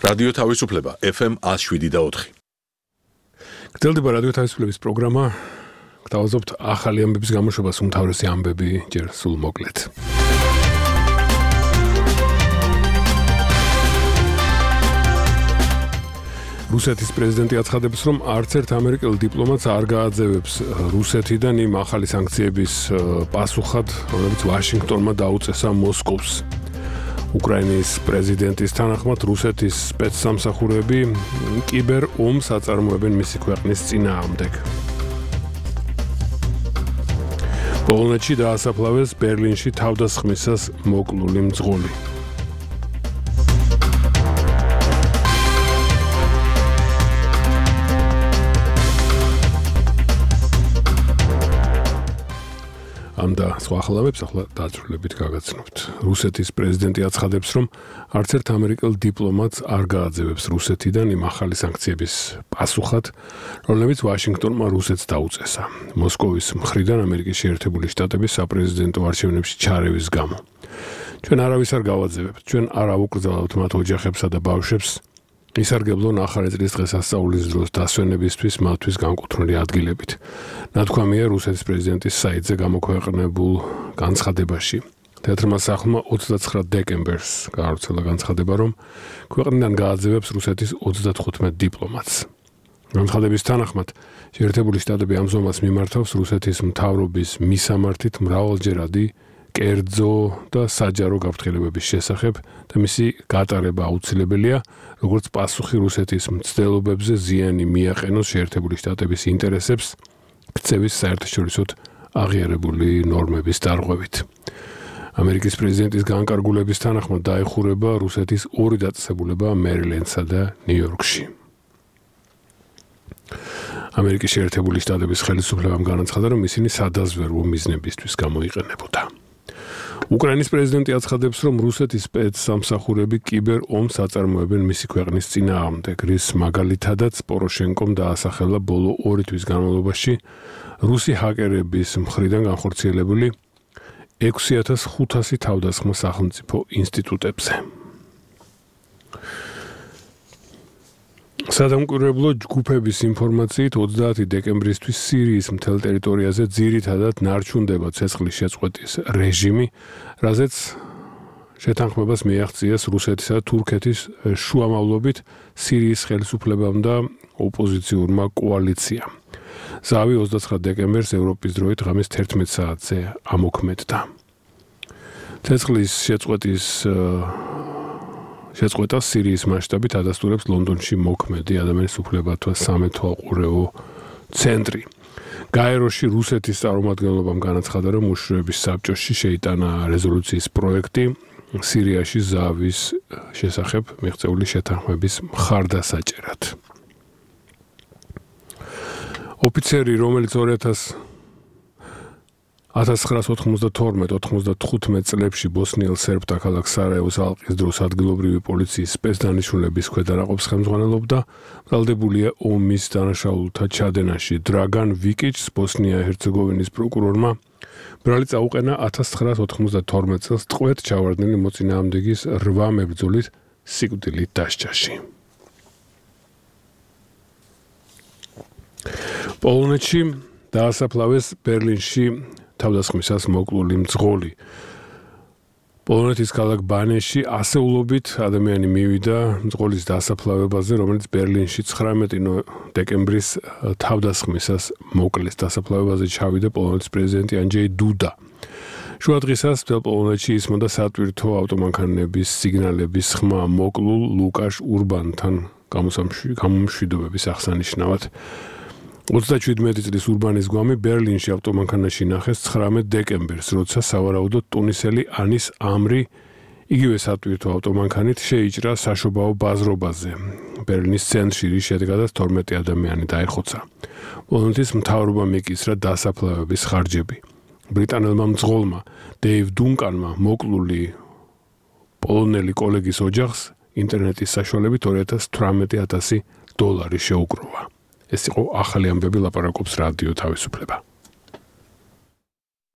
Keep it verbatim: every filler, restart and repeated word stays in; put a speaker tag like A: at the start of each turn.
A: რადიო თავისუფლება F M one oh seven და four.
B: გრძელდება რადიო თავისუფლების პროგრამა. გთავაზობთ ახალი ამბების გამოშვებას, უმთავრესი ამბები ჯერ სულ მოკლედ. რუსეთის პრეზიდენტი აცხადებს, რომ არც ერთ ამერიკელ დიპლომატს არ გააძევებს რუსეთიდან იმ ახალი სანქციების პასუხად, რომლებიც ვაშინგტონმა დაუწესა მოსკოვს. უკრაინის პრეზიდენტის თანახმად რუსეთის სპეცსამსახურეები კიბერ ომს აწარმოებენ მისი ქვეყნის წინააღმდეგ. პოლონეთში დაასაფლავეს ბერლინში თავდასხმისას მოკლული მძღოლი. ამ და სხვა ახალავებს ახლა დაწვრილებით გაგაცნობთ. რუსეთის პრეზიდენტი აცხადებს, რომ არც ერთ ამერიკელ დიპლომატს არ გააძევებს რუსეთიდან იმ ახალი სანქციების პასუხად, რომლებიც ვაშინგტონმა რუსეთს დაუწესა. მოსკოვის მხრიდან ამერიკის შეერთებული შტატების საპრეზიდენტო არჩევნებში ჩარევის გამო. ჩვენ არავის არ გავაძევებთ, ჩვენ არ ავუკრძალავთ მათ ოჯახებსა და ბავშვებს. ისარგებლო ახალი წლის დღესასწაულის დროს დასვენებისთვის მათთვის განკუთვნილი ადგილებით. ნათქვამია რუსეთის პრეზიდენტის საიტზე გამოქვეყნებულ განცხადებაში. თეატრმა სახლმა ოცდაცხრა დეკემბერს გაავრცელა განცხადება, რომ ქვეყნიდან გააძევებს რუსეთის ოცდათხუთმეტ დიპლომატს. განცხადების თანახმად, შეერთებული შტატები ამ ზომას მიმართავს რუსეთის მთავრობის მისამართით მრავალჯერადი კერძო და საჯარო გაფრთხილებების შესახებ და მისი გატარება აუცილებელია, როგორც პასუხი რუსეთის მცდელობებზე ზიანი მიაყენოს შეერთებული შტატების ინტერესებს ქცევის საერთაშორისოდ აღიარებული ნორმების დარღვევით. ამერიკის პრეზიდენტის განკარგულების თანახმად დაეხურება რუსეთის ორი დაწესებულება მერილენდსა და ნიუ-იორკში. ამერიკის შეერთებული შტატების ხელისუფლებამ განაცხადა, რომ ისინი სადაზვერვო მიზნებისთვის გამოიყენებოდა. უკრაინის პრეზიდენტი აცხადებს, რომ რუსეთის სპეცსამსახურეები კიბერ ომს აწარმოებენ მისი ქვეყნის წინააღმდეგ, რის მაგალითადაც პოროშენკომ დაასახელა ბოლო ორი თვის განმავლობაში რუსი ჰაკერების მხრიდან განხორციელებული ექვსი ათას ხუთასი თავდასხმა სახელმწიფო ინსტიტუტებზე. სადამკვირვებლო ჯგუფების ინფორმაციით ოცდაათი დეკემბრისთვის სირიის მთელ ტერიტორიაზე ძირითადად ნარჩუნდება ცეცხლის შეწყვეტის რეჟიმი, რაზეც შეთანხმებას მიაღწიეს რუსეთისა და თურქეთის შუამავლობით სირიის ხელისუფლებამ და ოპოზიციურმა კოალიციამ. ზავი ოცდაცხრა დეკემბერს ევროპის დროით ღამის თერთმეტ საათზე ამოქმედდა. ცეცხლის შეწყვეტის შეწყვეტა სირიის მასშტაბით ადასტურებს ლონდონში მოქმედი ადამიანის უფლებათა სამეთვალყურეო ცენტრი. გაეროში რუსეთის წარმომადგენლობამ განაცხადა, რომ უშიშროების საბჭოში შეიტანა რეზოლუციის პროექტი სირიაში ზავის შესახებ მიღწეული შეთანხმების მხარდასაჭერად. ოფიცერი, რომელიც ათას ცხრაას ოთხმოცდათორმეტ ოთხმოცდათხუთმეტ წლებში ბოსნიელ სერბთა ქალაქ სარაევოს ალყის დროს ადგილობრივი პოლიციის სპეცდანიშნულების ქვედანაყოფს ხელმძღვანელობდა, ბრალდებულია ომის დანაშაულთა ჩადენაში. დრაგან ვიკიჩს, ბოსნია-ჰერცეგოვინის პროკურორმა, ბრალი წაუყენა ათას ცხრაას ოთხმოცდათორმეტ წელს ტყვედ ჩავარდნილი მოწინააღმდეგის რვა მებრძოლის სიკვდილით დასჯაში. პოლონეთში დაასაფლავეს ბერლინში თავდასხმისას მოკლული მძღოლი. პოლონეთის ქალაქ ბანეში ასეულობით ადამიანი მივიდა მძღოლის დასაფლავებაზე, რომელიც ბერლინში ცხრამეტი დეკემბრის თავდასხმისას მოკლეს. დასაფლავებაზე ჩავიდა პოლონეთის პრეზიდენტი ანჯეი დუდა. შუა დღისას მთელ პოლონეთში ისმოდა სატვირთო ავტომანქანების სიგნალების ხმა მოკლულ ლუკაშ ურბანთან გამომშვიდობების აღსანიშნავად. ოცდაშვიდმეტი წლის ურბანის გვამი ბერლინში ავტომანქანაში ნახეს ცხრამეტ დეკემბერს, როცა სავარაუდოდ ტუნისელი ანის ამრი იგივე სატვირთო ავტომანქანით შეიჭრა საშობაო ბაზრობაზე. ბერლინის ცენტრში, რის შედეგადაც თორმეტი ადამიანი დაეხოცა. პოლონეთის მთავრობამ ეკისრა დასაფლავების ხარჯები. ბრიტანელმა მძღოლმა დეივ დუნკანმა მოკლული პოლონელი კოლეგის ოჯახს ინტერნეტის საშუალებით ორი ათას თვრამეტი ათასი დოლარი შეუკროვა. ეს იყო ახალი ამბები, ლაპარაკობს რადიო თავისუფლება.